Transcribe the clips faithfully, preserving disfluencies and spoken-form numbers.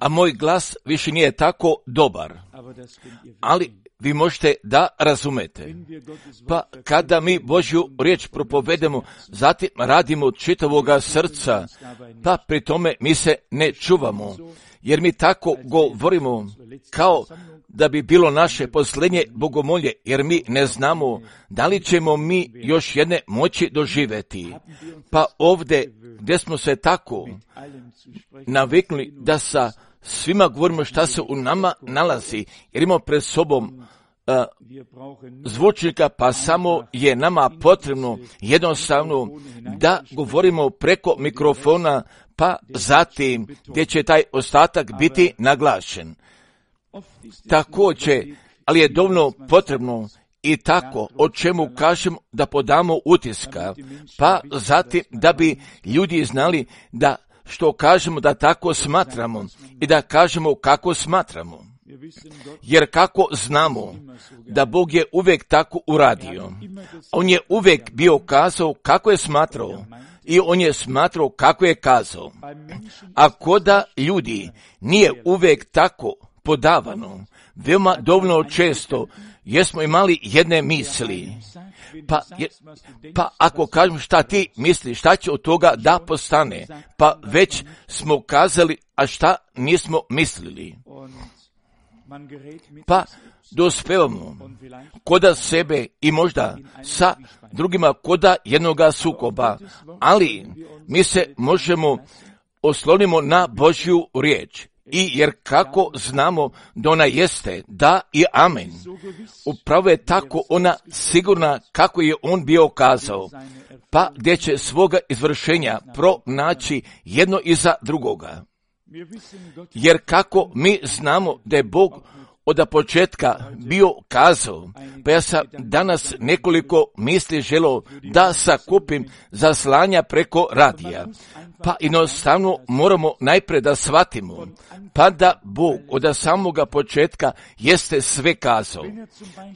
a moj glas više nije tako dobar, ali vi možete da razumete. Pa kada mi Božju riječ propovedemo, zatim radimo od čitavoga srca, pa pri tome mi se ne čuvamo, jer mi tako govorimo kao da bi bilo naše posljednje bogomolje, jer mi ne znamo da li ćemo mi još jedne moći doživjeti. Pa ovdje gdje smo se tako naviknuli da sa svima govorimo šta se u nama nalazi, jer imamo pred sobom uh, zvučnika, pa samo je nama potrebno jednostavno da govorimo preko mikrofona, pa zatim gdje će taj ostatak biti naglašen. Također, ali je dovoljno potrebno i tako, o čemu kažemo da podamo utiska, pa zatim da bi ljudi znali da što kažemo da tako smatramo i da kažemo kako smatramo. Jer kako znamo da Bog je uvijek tako uradio, on je uvijek bio kazao kako je smatrao i on je smatrao kako je kazao. A koda ljudi nije uvijek tako podavano, veoma dovoljno često jesmo imali jedne misli, pa, je, pa ako kažemo šta ti misliš, šta će od toga da postane, pa već smo kazali, a šta nismo mislili. Pa dospevamo koda sebe i možda sa drugima koda jednoga sukoba, ali mi se možemo oslonimo na Božju riječ. I jer kako znamo da ona jeste, da i amen. Upravo je tako ona sigurna kako je on bio kazao, pa gdje će svoga izvršenja pronaći jedno iza drugoga. Jer kako mi znamo da je Bog od početka bio kazao, pa ja sam danas nekoliko misli želio da sakupim za slanja preko radija. Pa jednostavno moramo najprije da shvatimo, pa da Bog od samoga početka jeste sve kazao.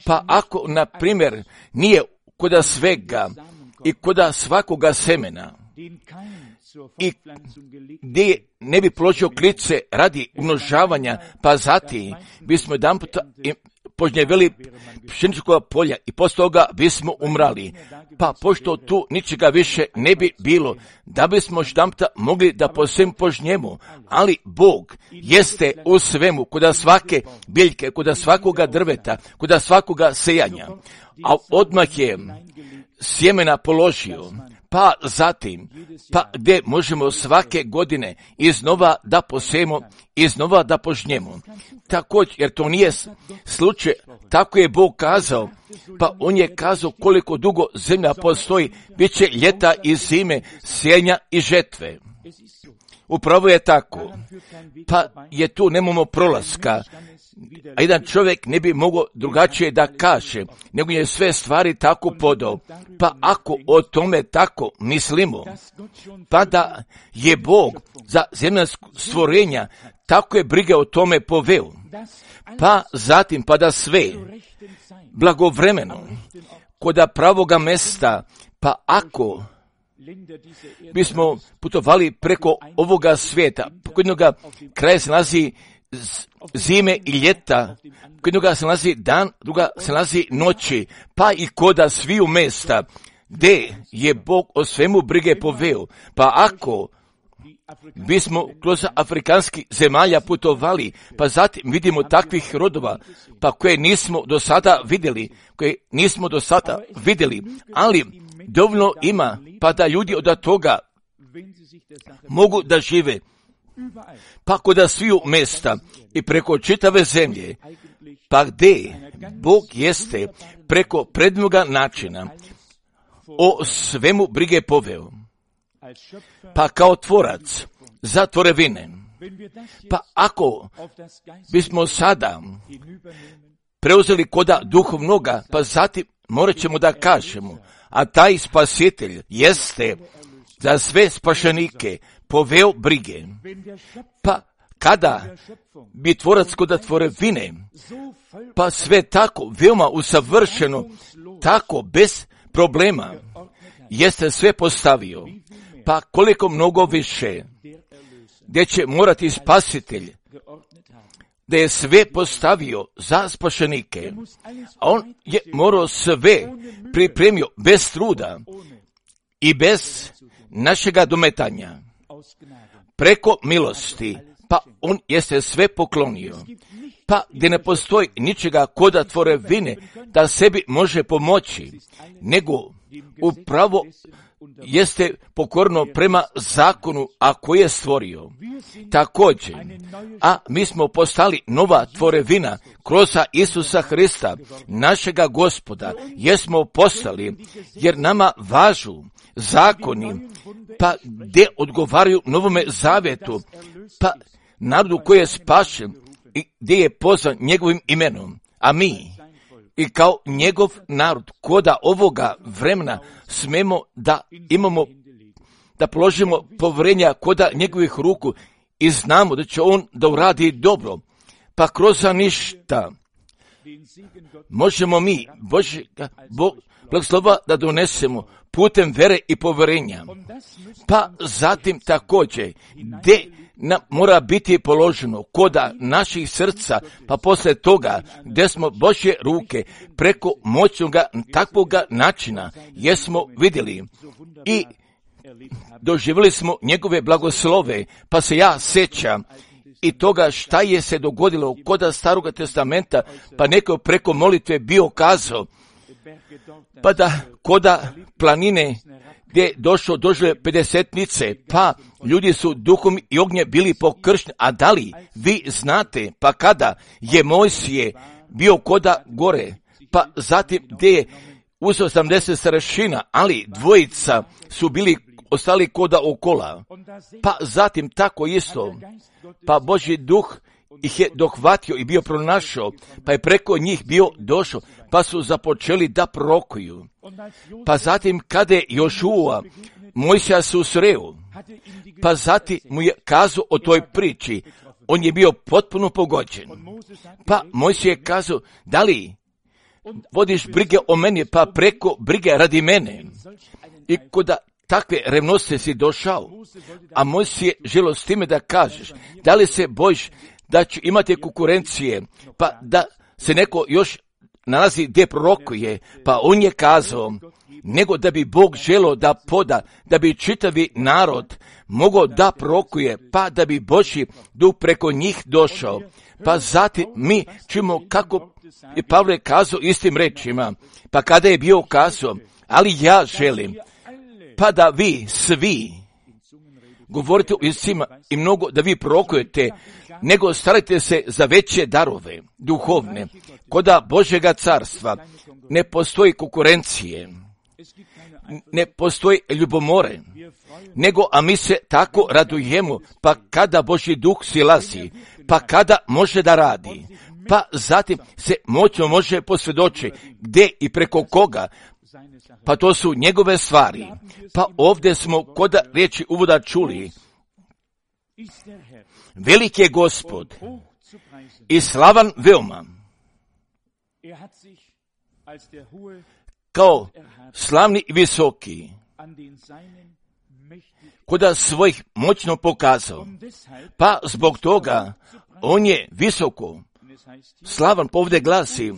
Pa ako, na primjer, nije koda svega i koda svakoga semena, i gdje ne bi položio klice radi umnožavanja, pa zatim bismo jedan puta požnjevili pšeničkog polja i poslije toga bismo umrali. Pa pošto tu ničega više ne bi bilo, da bismo jedan puta mogli da po svem požnjemo, ali Bog jeste u svemu, koda svake biljke, koda svakoga drveta, koda svakoga sejanja, a odmah je sjemena položio. Pa zatim, pa gdje možemo svake godine iznova da posejemo, iznova da požnjemo. Također, jer to nije slučaj, tako je Bog kazao, pa on je kazao koliko dugo zemlja postoji, bit će ljeta i zime, sjenja i žetve. Upravo je tako, pa je tu nemamo prolaska, a jedan čovjek ne bi mogao drugačije da kaže, nego je sve stvari tako podao. Pa ako o tome tako mislimo, pa da je Bog za zemljansko stvorenja tako je brige o tome poveo, pa zatim pa da sve blagovremeno koda pravoga mesta, pa ako bismo putovali preko ovoga svijeta, kod jednoga kraja se nalazi zime i ljeta, kod jednoga se nalazi dan, druga se nalazi noći, pa i koda sviju mesta, gdje je Bog o svemu brige poveo. Pa ako bismo kroz afrikanskih zemalja putovali, pa zatim vidimo takvih rodova, pa koje nismo do sada vidjeli, koje nismo do sada vidjeli, ali dovoljno ima, pa da ljudi od toga mogu da žive. Pa koda sviju mesta i preko čitave zemlje, pa gdje Bog jeste preko prednoga načina o svemu brige poveo. Pa kao tvorac za tvorevine, pa ako bismo sada preuzeli koda duhovnoga, pa zatim morat ćemo da kažemo, a taj spasitelj jeste za sve spašenike poveo brige. Pa kada bi tvorac koda tvorevine, pa sve tako veoma usavršeno, tako bez problema, jeste sve postavio. pa koliko mnogo više, gdje će morati spasitelj, da je sve postavio za spašenike, a on je morao sve pripremio bez truda i bez našega dometanja, preko milosti, pa on jeste sve poklonio. Pa gdje ne postoji ničega koda tvorevine da sebi može pomoći, nego upravo jeste pokorno prema zakonu, a koji je stvorio. Također, a mi smo postali nova tvorevina kroz Isusa Hrista, našega Gospoda, jesmo postali, jer nama važu zakoni, pa gdje odgovaraju Novome Zavjetu, pa narodu koji je spašen i gdje je pozvan njegovim imenom, a mi i kao njegov narod koda ovoga vremena smemo da imamo, da položimo povjerenja koda njegovih ruku i znamo da će on da uradi dobro, pa kroz ništa možemo mi Božjega blagoslova da donesemo putem vere i povjerenja. Pa zatim također gdje nam mora biti položeno koda naših srca, pa poslije toga gdje smo Božje ruke preko moćnoga takvoga načina jesmo vidjeli i doživjeli smo njegove blagoslove, pa se ja sjećam i toga šta je se dogodilo koda Staroga testamenta, pa neko preko molitve bio kazao, pa da koda planine gdje je došlo doživlje pedesetnice, pa ljudi su duhom i ognje bili pokršteni, a da li vi znate, pa kada je Mojsije bio koda gore, pa zatim gdje je uzeo osamdeset starešina, ali dvojica su bili ostali koda okola, pa zatim tako isto, pa Božji duh ih je dohvatio i bio pronašao, pa je preko njih bio došao, pa su započeli da prorokuju. Pa zatim kada je Jošua Mojsija susreo, pa zatim mu je kazao o toj priči, on je bio potpuno pogođen. Pa Mojsija je kazao, da li vodiš brige o meni, pa preko brige radi mene. I koda takve revnosti si došao, a Mojsije želo s time da kažeš, da li se bojiš da će imati konkurencije, pa da se neko još nalazi gdje prorokuje, pa on je kazao, nego da bi Bog želio da poda, da bi čitavi narod mogao da prorokuje, pa da bi Božji duh preko njih došao. Pa zatim mi čujemo kako je Pavle kazao istim rečima, pa kada je bio kazao, ali ja želim, pa da vi svi govorite o jezicima i mnogo da vi prorokujete, nego starajte se za veće darove, duhovne. Koda Božjega carstva ne postoji konkurencije, ne postoji ljubomore, nego a mi se tako radujemo, pa kada Božji duh silazi, pa kada može da radi, pa zatim se moćno može posvjedočiti gdje i preko koga, pa to su njegove stvari. Pa ovdje smo koda riječi uvoda čuli, velik je Gospod i slavan veoma, kao slavni i visoki, koda svojih moćno pokazao, pa zbog toga on je visoko, slavan, povde glasi,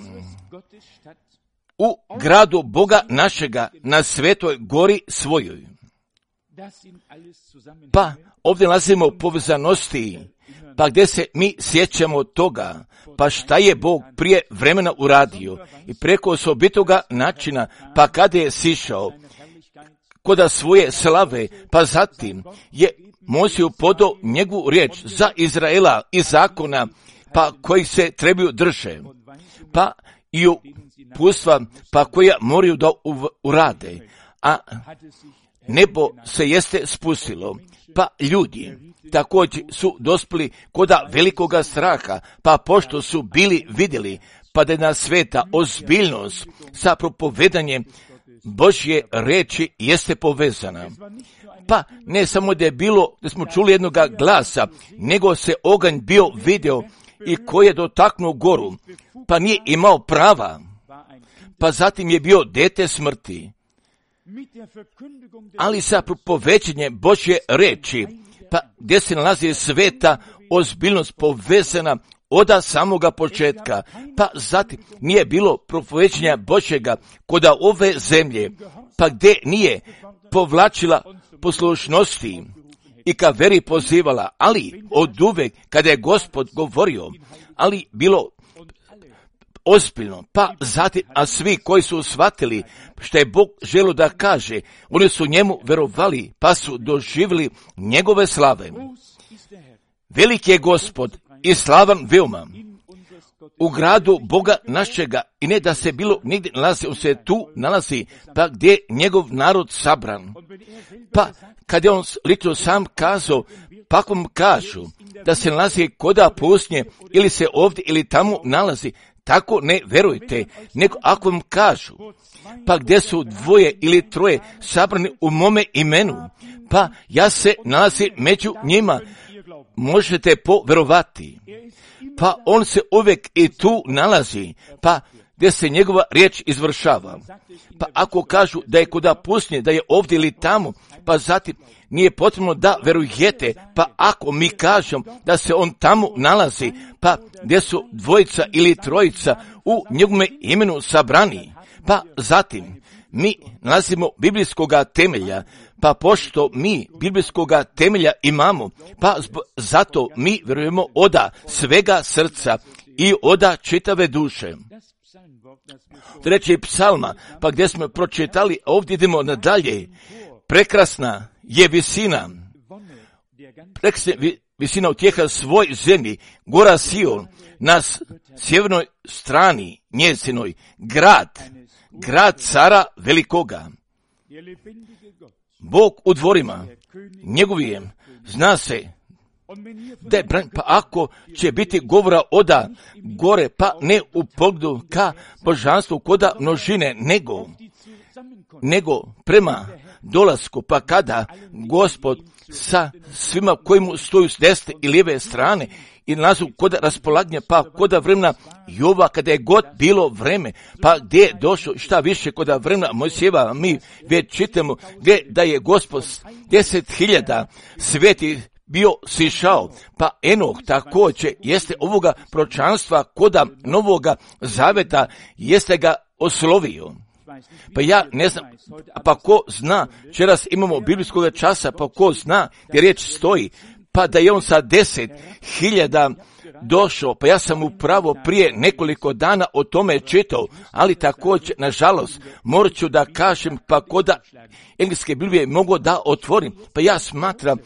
u gradu Boga našega na svetoj gori svojoj. Pa ovdje nalazimo povezanosti, pa gdje se mi sjećamo toga, pa šta je Bog prije vremena uradio i preko osobitoga načina, pa kada je sišao koda svoje slave, pa zatim je Mojsiju podao njegovu riječ za Izraela i zakona, pa koji se trebaju drže, pa i uputstva, pa koja moraju da urade, a nebo se jeste spustilo, pa ljudi također su dospili koda velikoga straha, pa pošto su bili vidjeli, pa da je na sveta ozbiljnost sa propovedanjem Božje reči jeste povezana. Pa ne samo da je bilo, da smo čuli jednog glasa, nego se oganj bio video i koji je dotaknuo goru, pa nije imao prava, pa zatim je bio dete smrti. ali sa propovećenjem Božje reči, pa gdje se nalazi sveta ozbiljnost povezana od samoga početka, pa zatim nije bilo propovećenja Božjega kod ove zemlje, pa gdje nije povlačila poslušnosti i ka veri pozivala, ali od uvek kada je Gospod govorio, ali bilo ozbiljno, pa zatim, a svi koji su shvatili što je Bog želio da kaže, oni su njemu verovali, pa su doživjeli njegove slave. Veliki je Gospod i slavan veoma u gradu Boga našega, i ne da se bilo nigdje nalazi, on se tu nalazi, pa gdje je njegov narod sabran. Pa kad je on lično sam kazao, pa ako mu kažu da se nalazi koda pustinje ili se ovdje ili tamo nalazi, tako ne verujte, nego ako vam kažu, pa gdje su dvoje ili troje sabrani u mome imenu, pa ja se nalazim među njima, možete poverovati. Pa on se uvijek i tu nalazi, pa gdje se njegova riječ izvršava. Pa ako kažu da je koda pustinje, da je ovdje ili tamo, pa zatim nije potrebno da verujete, pa ako mi kažem da se on tamo nalazi, pa gdje su dvojica ili trojica u njegovome imenu sabrani, pa zatim mi nalazimo biblijskoga temelja, pa pošto mi biblijskoga temelja imamo, pa zato mi vjerujemo oda svega srca i oda čitave duše. Treći psalma, pa gdje smo pročitali, ovdje idemo nadalje, prekrasna je visina, prekrasna visina utjeha svoj zemlji, gora Sion, na sjevernoj strani njezinoj, grad, grad cara velikoga. Bog u dvorima njegovijem, zna se da je, pa ako će biti govora oda gore, pa ne u pogledu ka božanstvu koda množine, nego, nego prema dolasku, pa kada Gospod sa svima koji mu stoju s desne i lijeve strane i nalazu kod raspolaganja, pa kod vremena Jova, kada je god bilo vreme, pa gdje je došlo šta više kod vremena Mojsijeva, mi već čitamo gdje da je Gospod deset hiljada sveti bio sišao, pa Enoh također jeste ovoga proročanstva koda Novoga Zaveta, jeste ga oslovio. Pa ja ne znam, pa ko zna, večeras imamo biblijskog časa, pa ko zna gdje riječ stoji, pa da je on sa deset hiljada došao, pa ja sam upravo prije nekoliko dana o tome čitao, ali također, nažalost, morat ću da kažem, pa koda engleske Biblije mogu da otvorim, pa ja smatram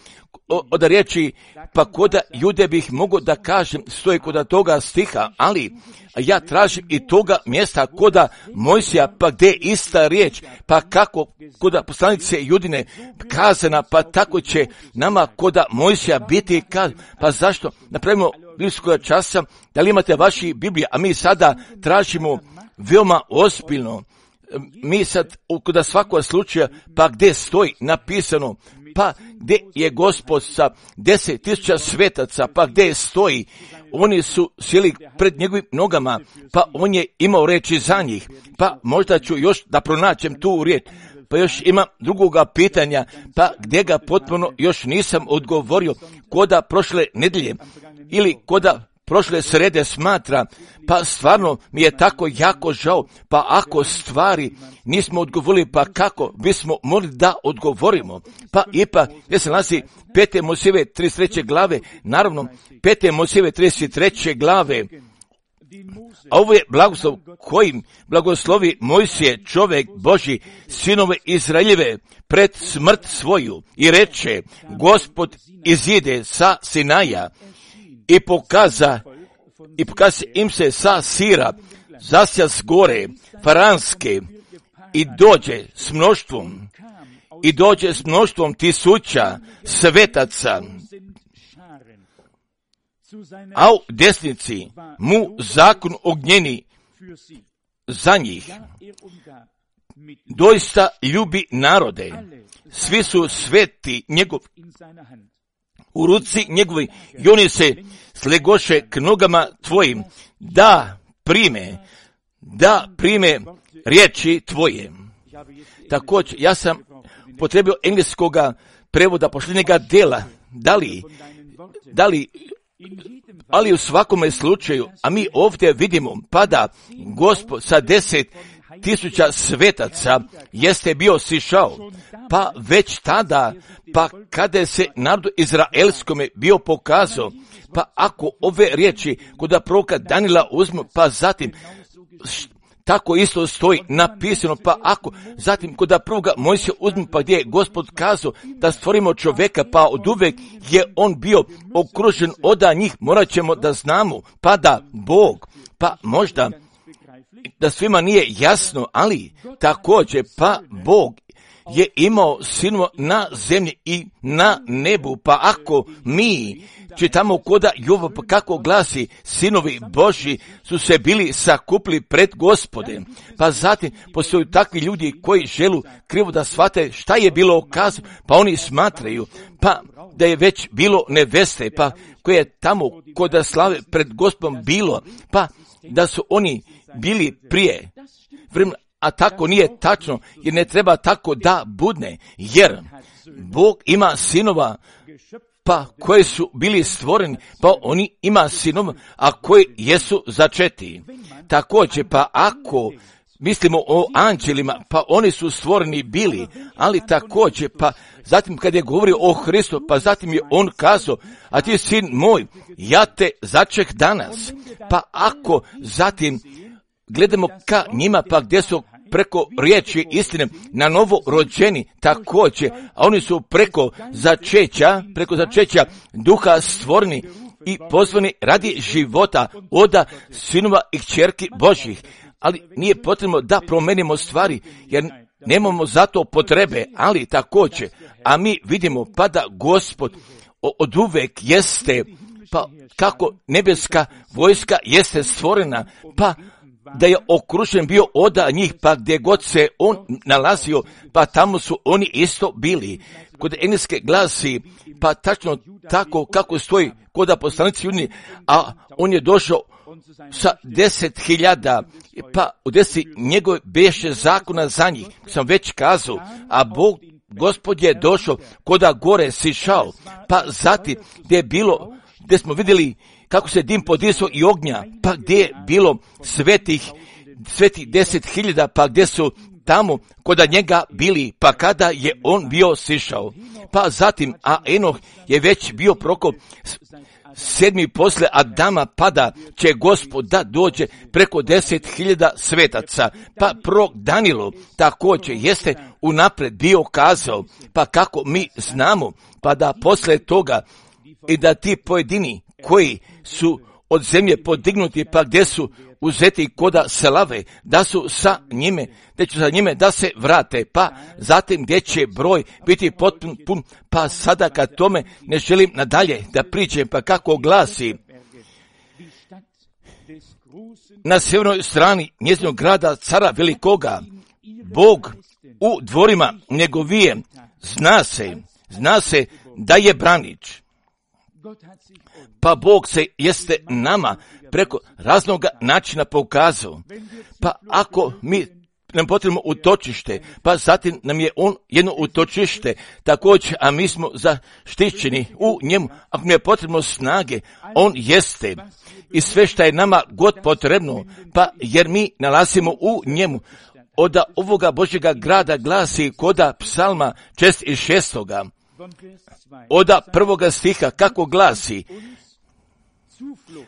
od riječi, pa koda jude bih mogo da kažem, stoji koda toga stiha, ali ja tražim i toga mjesta koda Mojsija, pa gdje je ista riječ, pa kako koda poslanice Judine kazana, pa tako će nama koda Mojsija biti kazana, pa zašto napravimo biblijskog časa, da li imate vaši Biblije, a mi sada tražimo veoma ozbiljno, mi sad kod svakog slučaja, pa gdje stoji napisano, pa gdje je Gospod sa deset tisuća svetaca, pa gdje stoji, oni su sjeli pred njegovim nogama, pa on je imao reći za njih, pa možda ću još da pronaćem tu riječ, pa još ima drugoga pitanja, pa gdje ga potpuno još nisam odgovorio, koda prošle nedelje, ili koda prošle srede smatra, pa stvarno mi je tako jako žao, pa ako stvari nismo odgovorili, pa kako bismo mogli da odgovorimo, pa ipak, gdje se nalazi pete Mojsijeve trideset treće glave, naravno, pete Mojsijeve trideset treće glave, a ovo je blagoslov kojim blagoslovi Mojsije, čovjek Božji, sinove Izraeljeve, pred smrt svoju, i reče, Gospod izide sa Sinaja, i pokaza, i pokaza im se sa Sira, zasja s gore, Faranske, i dođe s mnoštvom, i dođe s mnoštvom tisuća svetaca, a u desnici mu zakon ognjeni za njih. Doista ljubi narode, svi su sveti njegov u ruci njegovi, i oni se slegoše k nogama tvojim, da prime, da prime riječi tvoje. Također, ja sam potrebio engleskoga prevoda posljednjega dela. Da li, da li, ali u svakome slučaju, a mi ovdje vidimo, pada Gospod sa deset tisuća svetaca jeste bio sišao, pa već tada, pa kada se narodu izraelskome bio pokazao, pa ako ove riječi kod proroka Danila uzmu, pa zatim tako isto stoji napisano, pa ako zatim kod prvoga Mojsija uzmu, pa gdje je Gospod kazao da stvorimo čovjeka, pa od uvek je on bio okružen od njih, morat ćemo da znamo, pa da Bog, pa možda da svima nije jasno, ali također pa Bog je imao sinova na zemlji i na nebu, pa ako mi čitamo koda Jova, pa kako glasi, sinovi Božji su se bili sakupili pred Gospodem, pa zatim postoju takvi ljudi koji želu krivo da shvate šta je bilo okazano, pa oni smatraju, pa da je već bilo neveste, pa koje je tamo kod slave pred Gospodom bilo, pa da su oni bili prije vremena, a tako nije tačno, jer ne treba tako da budne, jer Bog ima sinova, pa koji su bili stvoreni, pa oni ima sinova, a koji jesu začeti. Također, pa ako mislimo o anđelima, pa oni su stvoreni bili, ali također, pa zatim kad je govorio o Hristu, pa zatim je on kazao, a ti sin moj, ja te začeh danas. Pa ako zatim gledamo ka njima, pa gdje su preko riječi istine na novo rođeni također, a oni su preko začeća, preko začeća duha stvoreni i pozvani radi života oda sinova i kćerki Božjih. Ali nije potrebno da promenimo stvari, jer nemamo za to potrebe, ali također, a mi vidimo pa da Gospod od uvek jeste, pa kako nebeska vojska jeste stvorena, pa da je okružen bio od njih, pa gdje god se on nalazio, pa tamo su oni isto bili. Kod engleske glasi, pa tačno tako kako stoji kod poslanici Judini, a on je došao sa deset hiljada, pa u deset njegove beše zakona za njih, sam već kazao, a Bog, Gospod je došao koda gore sišao, pa zatim gdje je bilo, gdje smo vidjeli kako se dim podisao i ognja, pa gdje je bilo svetih, svetih deset hiljada, pa gdje su tamo koda njega bili, pa kada je on bio sišao. Pa zatim, a Enoh je već bio proko sedmi posle Adama, pada će Gospod da dođe preko deset hiljada svetaca. Pa prorok Danilo također jeste unapred bio kazao, pa kako mi znamo, pa da posle toga i da ti pojedini koji su od zemlje podignuti, pa gdje su uzeti koda slave, da su sa njime, da će sa njime da se vrate, pa zatim gdje će broj biti potpun, pun, pa sada kad tome ne želim nadalje da pričam, pa kako glasi, na sjevernoj strani njezinog grada cara velikoga, Bog u dvorima njegovije, zna se, zna se da je branič. Pa Bog se jeste nama preko raznog načina pokazao. Pa ako mi nam potrebno utočište, pa zatim nam je on jedno utočište također, a mi smo zaštićeni u njemu. Ako mi je potrebno snage, on jeste. I sve što je nama god potrebno, pa jer mi nalazimo u njemu. Od ovoga Božjega grada glasi koda psalma šezdeset šestoga. Od prvoga stiha kako glasi,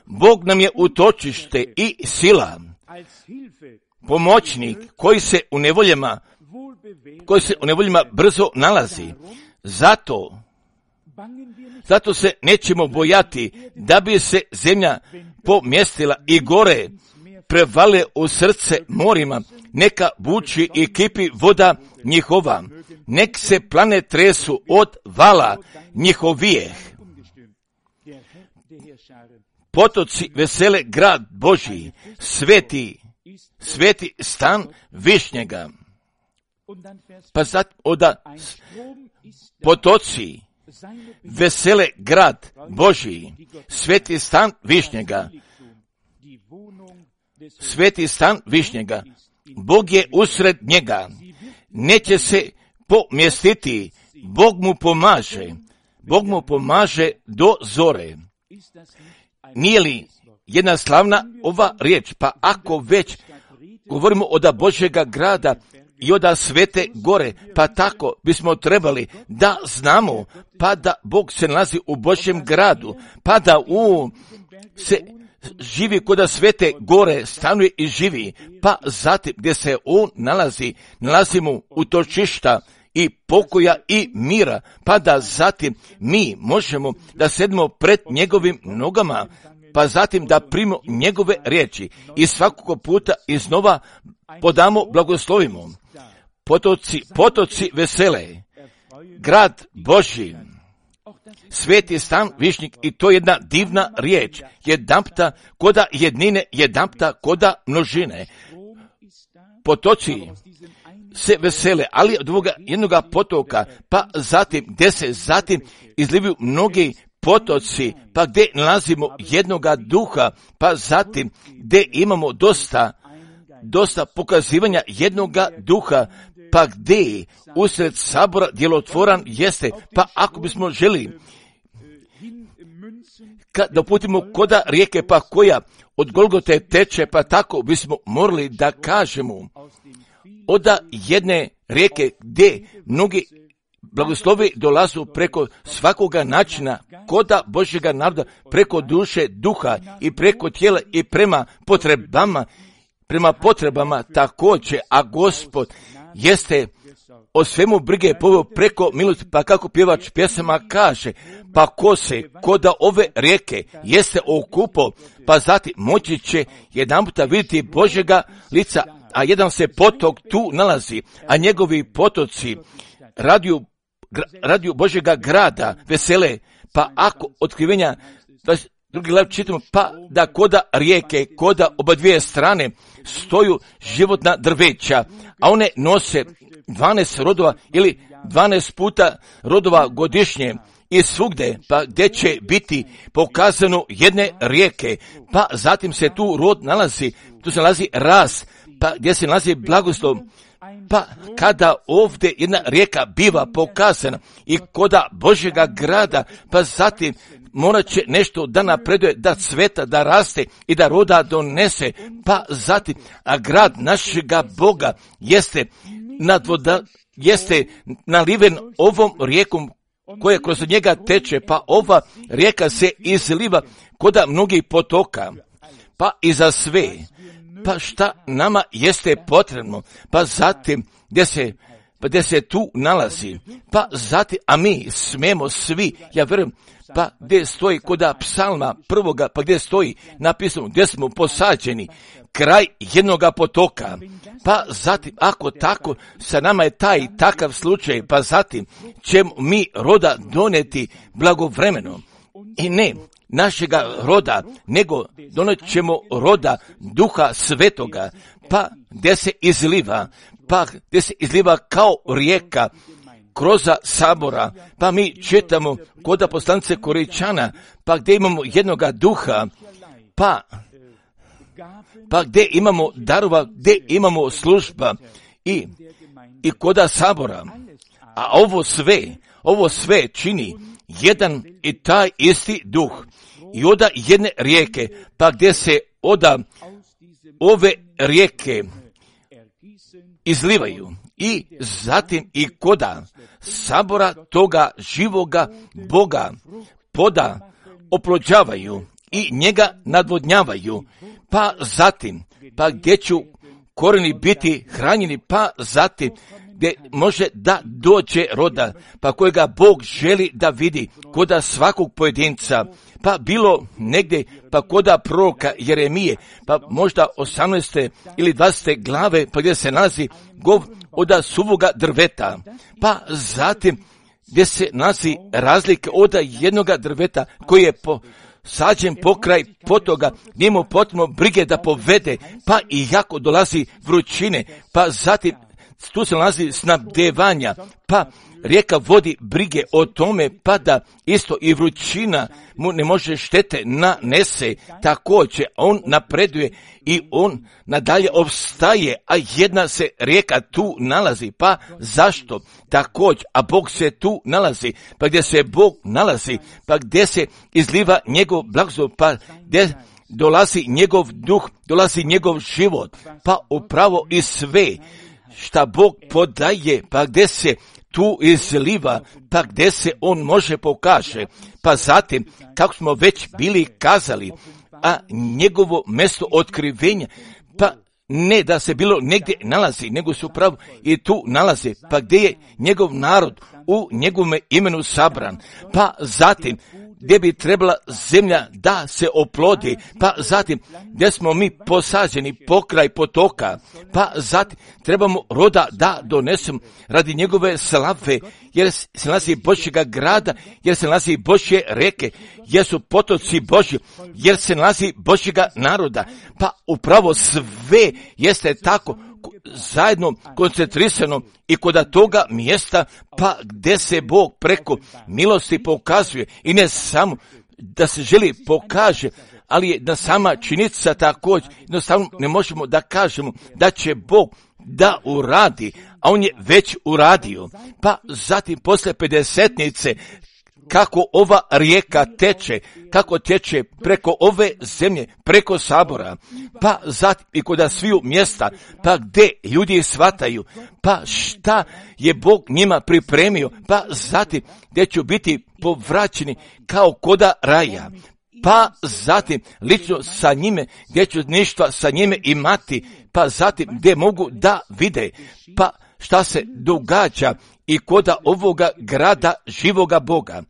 Bog nam je utočište i sila, pomoćnik koji se u nevoljama, koji se u nevoljama brzo nalazi. Zato, zato se nećemo bojati da bi se zemlja pomjestila i gore prevale u srce morima, neka buči i kipi voda njihova, nek se plane tresu od vala njihovijeh. Potoci vesele grad Božji, sveti, sveti stan Višnjega. Pa sad oda potoci vesele grad Božji, sveti stan Višnjega. Sveti stan Višnjega. Bog je usred njega. neće se pomjestiti, Bog mu pomaže, Bog mu pomaže do zore. Nije li jedna slavna ova riječ? Pa ako već govorimo o da Božjega grada i od Svete gore, pa tako bismo trebali da znamo, pa da Bog se nalazi u Božjem gradu, pa da u se živi kod Svete gore, stanuje i živi, pa zatim gdje se on nalazi, nalazimo utočišta i pokoja i mira, pa da zatim mi možemo da sedmo pred njegovim nogama, pa zatim da primimo njegove riječi i svakog puta iznova podamo, blagoslovimo. Potoci, potoci vesele, grad Božji, sveti stan višnjik, i to je jedna divna riječ, jedanpta koda jednine, jedanpta koda množine. Potoci se vesele, ali od ovoga jednoga potoka, pa zatim gdje se zatim izlivaju mnogi potoci, pa gdje nalazimo jednoga duha, pa zatim gdje imamo dosta, dosta pokazivanja jednoga duha, pa gdje usred sabora djelotvoran jeste, pa ako bismo želi da uputimo koda rijeke, pa koja od Golgote teče, pa tako bismo morali da kažemo oda jedne rijeke gdje mnogi blagoslovi dolazu preko svakoga načina koda Božjega naroda, preko duše, duha i preko tijela i prema potrebama, prema potrebama također, a Gospod jeste o svemu brige poveo preko milosti, pa kako pjevač pjesama kaže, pa ko se koda ove rijeke jeste okupo, pa zatim moći će jedan puta vidjeti Božjega lica, a jedan se potok tu nalazi, a njegovi potoci radiju, radiju Božjega grada vesele, pa ako otkrivenja drugi glav čitamo, pa da koda rijeke, koda oba dvije strane stoju životna drveća, a one nose dvanaest rodova ili dvanaest puta rodova godišnje i svugde, pa gdje će biti pokazano jedne rijeke, pa zatim se tu rod nalazi, tu se nalazi rast, pa gdje se nalazi blagoslov, pa kada ovdje jedna rijeka biva pokazana i koda Božjega grada, pa zatim morat će nešto da napreduje, da cveta, da raste i da roda donese, pa zatim, a grad našega Boga jeste nadvoda, jeste naliven ovom rijekom koja kroz njega teče, pa ova rijeka se izliva koda mnogih potoka, pa i za sve. Pa šta nama jeste potrebno, pa zatim gdje se, pa gdje se tu nalazi, pa zatim, a mi smemo svi, ja vjerujem, pa gdje stoji koda psalma prvoga, pa gdje stoji napisano gdje smo posađeni, kraj jednoga potoka, pa zatim, ako tako sa nama je taj takav slučaj, pa zatim ćemo mi roda doneti blagovremeno i ne našega roda, nego donet ćemo roda Duha Svetoga, pa gdje se izliva, pa gdje se izliva kao rijeka kroz sabora, pa mi čitamo koda poslanice Koričana, pa gdje imamo jednoga duha, pa, pa gdje imamo darova, gdje imamo služba i, i koda sabora, a ovo sve, ovo sve čini jedan i taj isti duh i oda jedne rijeke, pa gdje se oda ove rijeke izlivaju i zatim i koda sabora toga živoga Boga poda oplođavaju i njega nadvodnjavaju, pa zatim, pa gdje ću korijeni biti hranjeni, pa zatim gdje može da dođe roda, pa kojega Bog želi da vidi koda svakog pojedinca, pa bilo negdje, pa koda proroka Jeremije, pa možda osamnaeste ili dvadesete glave, pa gdje se nalazi gov oda suvoga drveta, pa zatim gdje se nalazi razlike oda jednoga drveta koji je po sađen pokraj potoga, gdje mu potrebno brige da povede, pa i jako dolazi vrućine, pa zatim tu se nalazi snabdevanja, pa rijeka vodi brige o tome, pa da isto i vrućina mu ne može štete nanese. Također on napreduje i on nadalje opstaje, a jedna se rijeka tu nalazi. Pa zašto? Također, a Bog se tu nalazi. Pa gdje se Bog nalazi, pa gdje se izliva njegov blagoslov, pa gdje dolazi njegov duh, dolazi njegov život, pa upravo i sve šta Bog podaje, pa gdje se tu izliva, pa gdje se on može pokaže. Pa zatim, kako smo već bili kazali, a njegovo mjesto otkrivenja, pa ne da se bilo negdje nalazi, nego su upravo i tu nalaze, pa gdje je njegov narod u njegovome imenu sabran, pa zatim gdje bi trebala zemlja da se oplodi, pa zatim gdje smo mi posađeni pokraj potoka, pa zatim trebamo roda da donesemo radi njegove slave, jer se nalazi Božjega grada, jer se nalazi Božje reke, jer su potoci Božji, jer se nalazi Božjega naroda, pa upravo sve jeste tako zajedno koncentrisano i kod toga mjesta, pa gdje se Bog preko milosti pokazuje i ne samo da se želi pokaže, ali je da sama činjenica također, jednostavno ne možemo da kažemo da će Bog da uradi, a on je već uradio. Pa zatim posle pedesetnice, kako ova rijeka teče, kako teče preko ove zemlje, preko sabora, pa zatim i kod sviju mjesta, pa gdje ljudi shvataju, pa šta je Bog njima pripremio, pa zatim gdje će biti povraćeni kao koda raja, pa zatim lično sa njime, gdje ću ništa sa njime imati, pa zatim gdje mogu da vide, pa šta se događa i koda ovoga grada živoga Boga.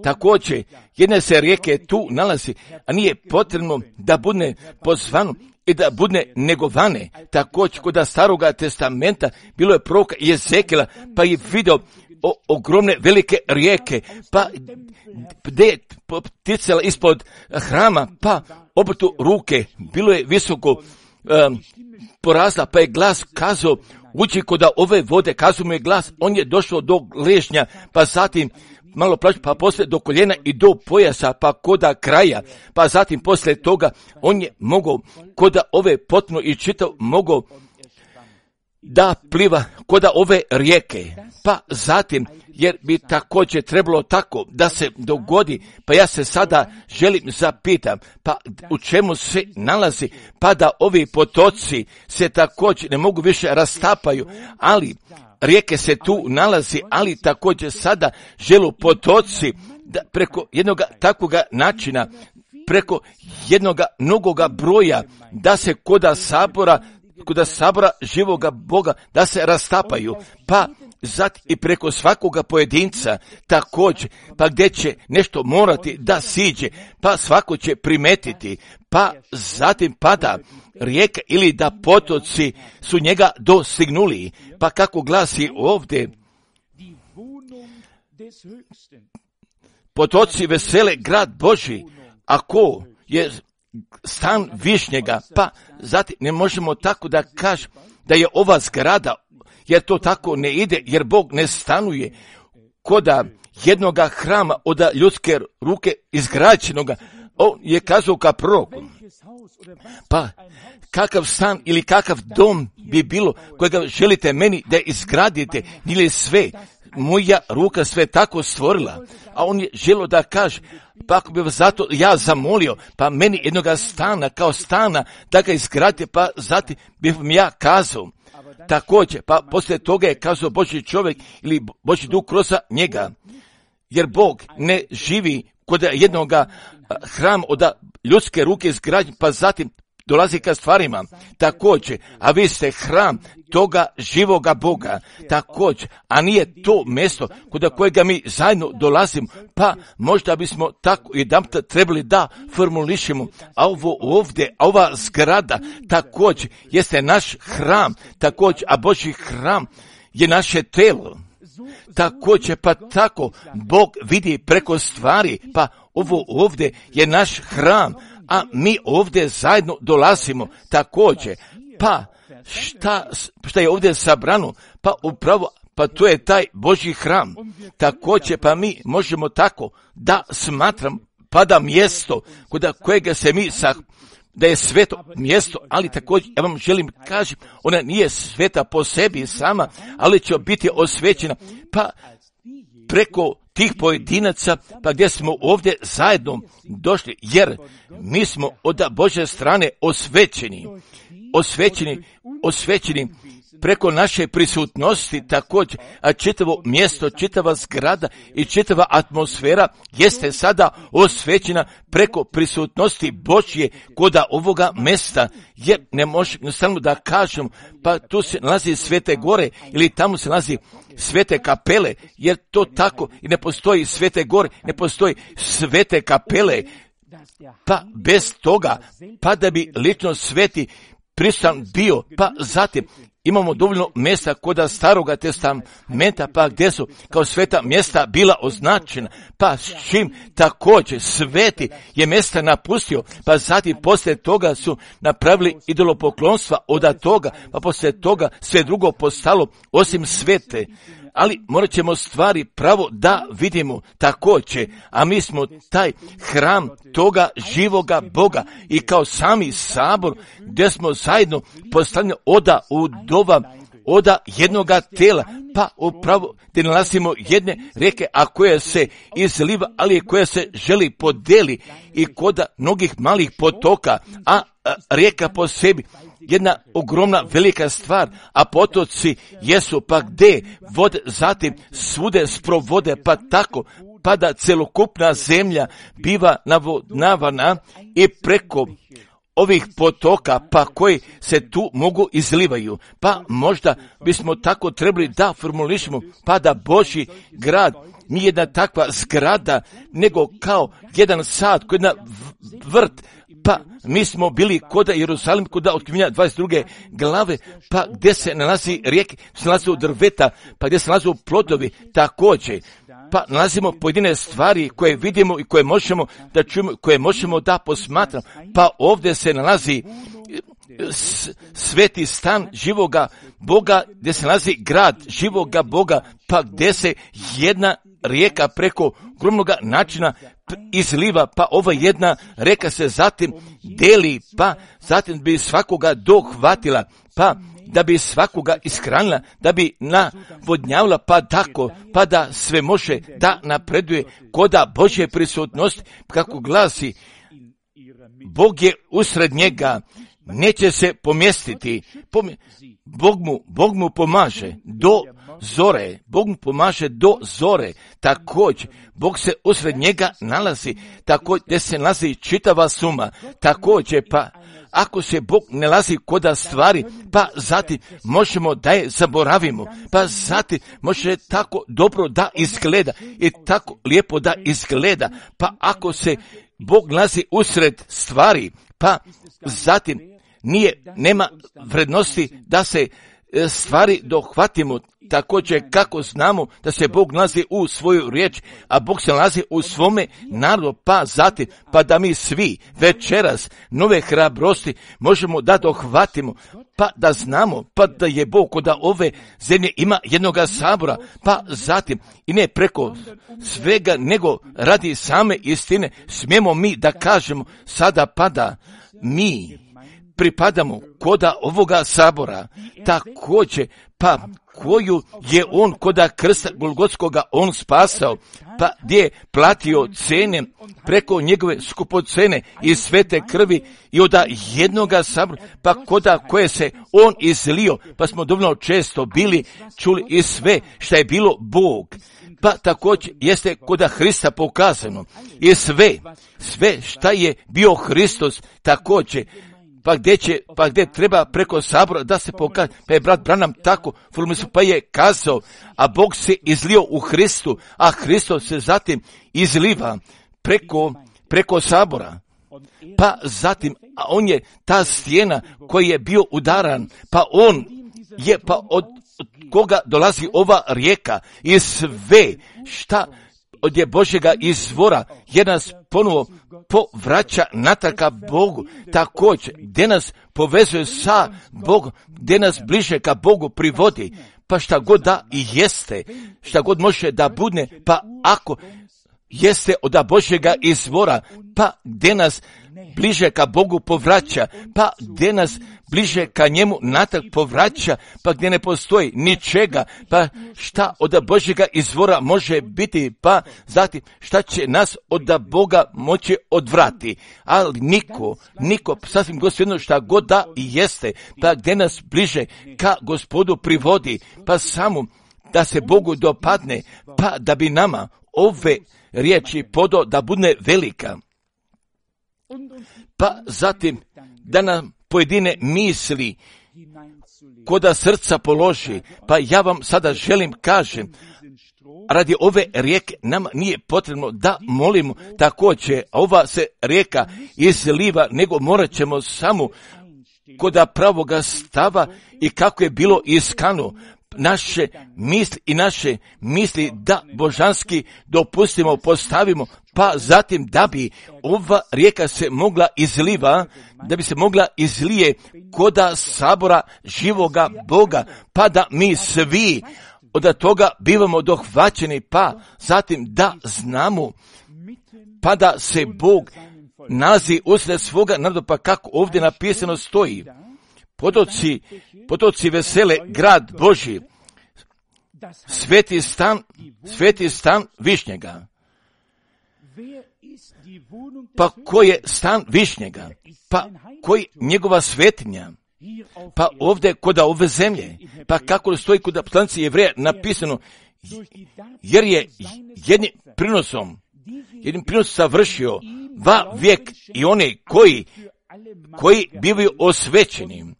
Također, jedne se rijeke tu nalazi, a nije potrebno da bude pozvano i da bude negovane. Također, kod staroga testamenta bilo je proroka Jezekijela, pa je video o, ogromne velike rijeke, pa gdje je ticala ispod hrama, pa obrtu ruke, bilo je visoko um, porazla, pa je glas kazao, uđi kod ove vode, kazao mu je glas, on je došao do ležnja, pa zatim malo plaću, pa poslije do koljena i do pojasa, pa koda kraja, pa zatim poslije toga on je mogao koda ove potpuno i čitav mogao da pliva koda ove rijeke, pa zatim, jer bi također trebalo tako da se dogodi, pa ja se sada želim zapitam, pa u čemu se nalazi, pa da ovi potoci se također ne mogu više rastapaju, ali rijeke se tu nalazi, ali također sada želu potoci da preko jednog takvoga načina, preko jednog mnogoga broja, da se koda sabora, koda sabora živoga Boga, da se rastapaju, pa zatim i preko svakoga pojedinca također, pa gdje će nešto morati da siđe, pa svako će primetiti, pa zatim pada rijeka ili da potoci su njega dostignuli, pa kako glasi ovdje, potoci vesele grad Božji, ako je stan Višnjega, pa zatim ne možemo tako da kažemo da je ova zgrada, jer to tako ne ide, jer Bog ne stanuje koda jednoga hrama od ljudske ruke izgrađenoga. On je kazao ka proroku, pa kakav stan ili kakav dom bi bilo kojega želite meni da izgradite, ili sve, moja ruka sve tako stvorila, a on je želio da kaže, pa ako bi vas zato ja zamolio, pa meni jednoga stana kao stana da ga izgradite, pa zatim bih vam ja kazao. Također, pa poslije toga je kazao Božji čovjek ili Božji duh kroz njega, jer Bog ne živi kod jednoga hrama od ljudske ruke izgrađen, pa zatim dolazi ka stvarima. Također, a vi ste hram toga živoga Boga, također, a nije to mjesto kod kojega mi zajedno dolazimo, pa možda bismo tako jedan trebali da formulišemo, a ovo ovdje, a ova zgrada također jeste naš hram, također, a Božji hram je naše telo. Također, pa tako Bog vidi preko stvari, pa ovo ovdje je naš hram, a mi ovdje zajedno dolazimo također, pa šta, šta je ovdje sabrano, pa upravo pa to je taj Božji hram. Također pa mi možemo tako da smatram pa da mjesto kod kojega se mi sa da je sveto mjesto, ali također ja vam želim kažem, ona nije sveta po sebi sama, ali će biti osvećena pa preko tih pojedinaca, pa gdje smo ovdje zajedno došli, jer mi smo od Božje strane osvećeni, osvećeni, osvećeni preko naše prisutnosti također, a čitavo mjesto, čitava zgrada i čitava atmosfera jeste sada osvećena preko prisutnosti Božje koda ovoga mjesta, jer ne može jednostavno da kažem, pa tu se nalazi Svete gore ili tamo se nalazi Svete kapele, jer to tako i ne postoji Svete gore, ne postoji Svete kapele, pa bez toga, pa da bi lično sveti prisutan bio, pa zatim imamo dovoljno mjesta koda Staroga testamenta, pa gdje su kao sveta mjesta bila označena, pa s čim također sveti je mjesta napustio, pa zatim poslije toga su napravili idolopoklonstva od toga, pa poslije toga sve drugo postalo osim svete. Ali morat ćemo stvari pravo da vidimo također, a mi smo taj hram toga živoga Boga i kao sami sabor gdje smo zajedno postavljeni oda u dova, oda jednoga tela, pa upravo gdje nalazimo jedne rijeke, a koja se izliva, ali koja se želi podeli i koda mnogih malih potoka, a, a rijeka po sebi jedna ogromna velika stvar, a potoci jesu pa gdje vode zatim svude sprovode, pa tako pa da celokupna zemlja biva navodnavana i preko ovih potoka pa koji se tu mogu izlivaju. Pa možda bismo tako trebali da formulišemo pa da Božji grad nije jedna takva zgrada, nego kao jedan sad, kao jedna vrt. Pa mi smo bili koda Jerusalim, koda otkrivenja dvadeset druge glave, pa gdje se nalazi rijeke, se nalazi drveta, pa gdje se nalazi plodovi također. Pa nalazimo pojedine stvari koje vidimo i koje možemo da čujemo, koje možemo da posmatramo. Pa ovdje se nalazi sveti stan živoga Boga, gdje se nalazi grad živoga Boga, pa gdje se jedna rijeka preko ogromnoga načina izliva, pa ova jedna rijeka se zatim deli, pa zatim bi svakoga dohvatila, pa da bi svakoga ishranila, da bi navodnjavala, pa tako, pa da sve može da napreduje koda Božje prisutnosti, kako glasi, Bog je usred njega, neće se pomjestiti, Pom... Bog, mu, Bog mu pomaže do zore, Bog mu pomaže do zore, također, Bog se usred njega nalazi, također, gdje se nalazi čitava suma, također, pa ako se Bog ne nalazi koda stvari, pa zatim možemo da je zaboravimo, pa zatim može tako dobro da izgleda i tako lijepo da izgleda, pa ako se Bog nalazi usred stvari, pa zatim nije, nema vrednosti da se stvari dohvatimo, također kako znamo da se Bog nalazi u svoju riječ, a Bog se nalazi u svome narodu, pa zatim, pa da mi svi večeras nove hrabrosti možemo da dohvatimo, pa da znamo, pa da je Bog kod ove zemlje ima jednoga sabora, pa zatim i ne preko svega, nego radi same istine, smijemo mi da kažemo sada pa da mi pripadamo koda ovoga sabora, također, pa koju je on koda krsta Golgotskoga on spasao, pa gdje je platio cene preko njegove skupocene i svete krvi i od jednoga sabora, pa koda koje se on izlio, pa smo dovoljno često bili čuli i sve što je bilo Bog, pa također jeste koda Hrista pokazano i sve, sve šta je bio Hristos također, pa gdje će, pa gdje treba preko sabora da se pokaže, pa je brat Branham tako, pa je kazao, a Bog se izlio u Hristu, a Hristos se zatim izliva preko, preko sabora. Pa zatim, a on je ta stijena koji je bio udaran, pa on je, pa od, od koga dolazi ova rijeka i sve šta od je Božjega izvora, je nas ponovo povraća natraka Bogu, također, gdje nas povezuje sa Bogom, gdje nas bliže ka Bogu privodi, pa šta god da i jeste, šta god može da bude, pa ako jeste od Božjega izvora, pa gdje nas bliže ka Bogu povraća, pa gdje nas bliže ka njemu natrag povraća, pa gdje ne postoji ničega, pa šta od Božjega izvora može biti, pa zatim šta će nas od Boga moći odvrati. Ali niko, niko, sasvim gospodino šta god da i jeste, pa gdje nas bliže ka Gospodu privodi, pa samo da se Bogu dopadne, pa da bi nama ove riječi podo da bude velika. Pa zatim da nam pojedine misli koda srca položi, pa ja vam sada želim kažem, radi ove rijeke nam nije potrebno da molimo također, ova se rijeka izliva, nego morat ćemo samo koda pravoga stava i kako je bilo iskano, naše misli i naše misli da božanski dopustimo, postavimo, pa zatim da bi ova rijeka se mogla izliva, da bi se mogla izlije koda sabora živoga Boga, pa da mi svi od toga bivamo dohvaćeni, pa zatim da znamo, pa da se Bog nalazi usred svoga naroda, pa kako ovdje napisano stoji, potoci, potoci vesele, grad Božji, sveti stan, sveti stan Višnjega. Pa ko je stan Višnjega? Pa koji njegova svetinja? Pa ovdje koda ove zemlje, pa kako stoji koda poslanici Jevreja napisano, jer je jednim prinosom, jednim prinosom savršio va vijek i one koji, koji bivaju osvećeni.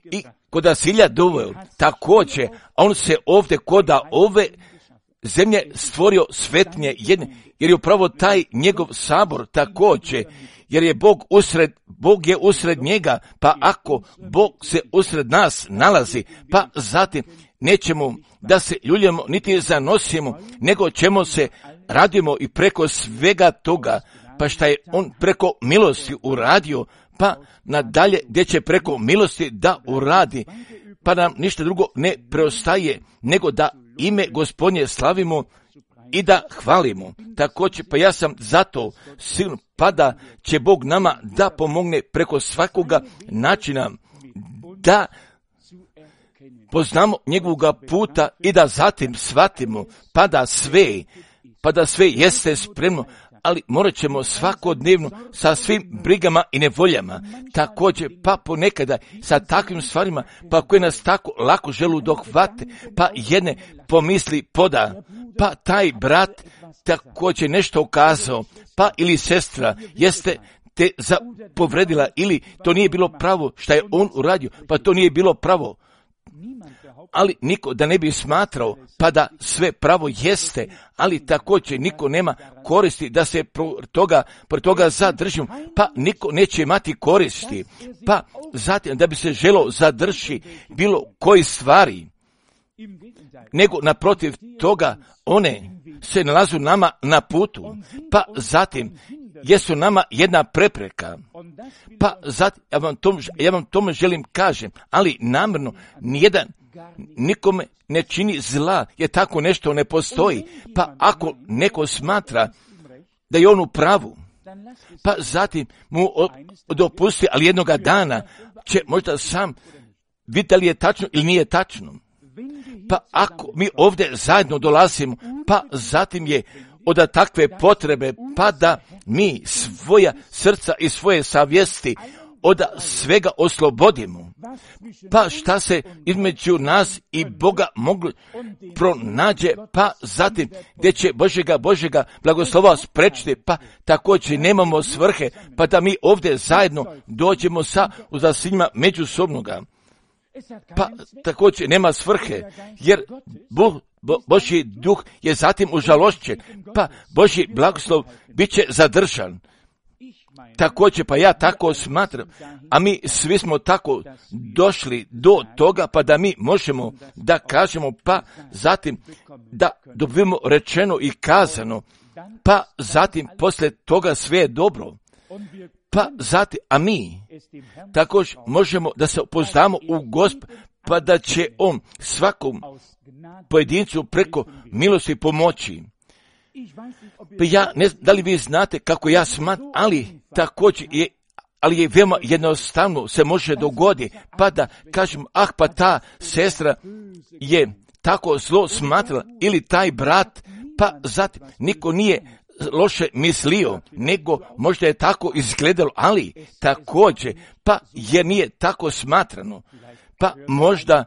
I koda silja doveo, također, on se ovdje koda ove zemlje stvorio svetnje jedne, jer je upravo taj njegov sabor također, jer je Bog usred, Bog je usred njega, pa ako Bog se usred nas nalazi, pa zatim nećemo da se ljuljemo niti zanosimo, nego ćemo se radimo i preko svega toga, pa šta je on preko milosti uradio, pa nadalje gdje će preko milosti da uradi, pa nam ništa drugo ne preostaje, nego da ime Gospodnje slavimo i da hvalimo. Također, pa ja sam zato sigurno, pa da će Bog nama da pomogne preko svakoga načina, da poznamo njegovoga puta i da zatim shvatimo, pa da sve, pa da sve jeste spremno, ali morat ćemo svakodnevno sa svim brigama i nevoljama, također pa ponekada sa takvim stvarima, pa koje nas tako lako želu dohvate, pa jedne pomisli poda, pa taj brat također nešto ukazao, pa ili sestra jeste te povredila, ili to nije bilo pravo što je on uradio, pa to nije bilo pravo. Ali niko da ne bi smatrao, pa da sve pravo jeste, ali također niko nema koristi da se pro toga, pro toga zadržimo, pa niko neće imati koristi, pa zatim da bi se želo zadrži bilo koji stvari, nego naprotiv toga one se nalazu nama na putu, pa zatim jesu nama jedna prepreka, pa zatim ja vam tom, ja vam tome želim kažem, ali namjerno nijedan nikome ne čini zla, jer tako nešto ne postoji, pa ako neko smatra da je on u pravu, pa zatim mu dopusti, ali jednoga dana će možda sam vidjeti da li je tačno ili nije tačno. Pa ako mi ovdje zajedno dolazimo, pa zatim je od takve potrebe, pa da mi svoja srca i svoje savjesti od svega oslobodimo, pa šta se između nas i Boga mogli pronađe, pa zatim gdje će Božega Božega blagoslova sprečiti, pa također nemamo svrhe, pa da mi ovdje zajedno dođemo sa uzasinjima međusobnoga, pa također nema svrhe, jer Bog, Bo, Božji duh je zatim užalošćen, pa Božji blagoslov bit će zadržan. Također, pa ja tako smatram, a mi svi smo tako došli do toga, pa da mi možemo da kažemo, pa zatim da dobijemo rečeno i kazano, pa zatim poslije toga sve je dobro, pa zatim, a mi također možemo da se upoznamo u Gospod, pa da će on svakom pojedincu preko milosti pomoći. Pa ja ne znam da li vi znate kako ja smatram, ali također je, ali je veoma jednostavno se može dogoditi, pa da kažem, ah pa ta sestra je tako zlo smatrala, ili taj brat, pa zatim niko nije loše mislio, nego možda je tako izgledalo, ali također, pa jer nije tako smatrano, pa možda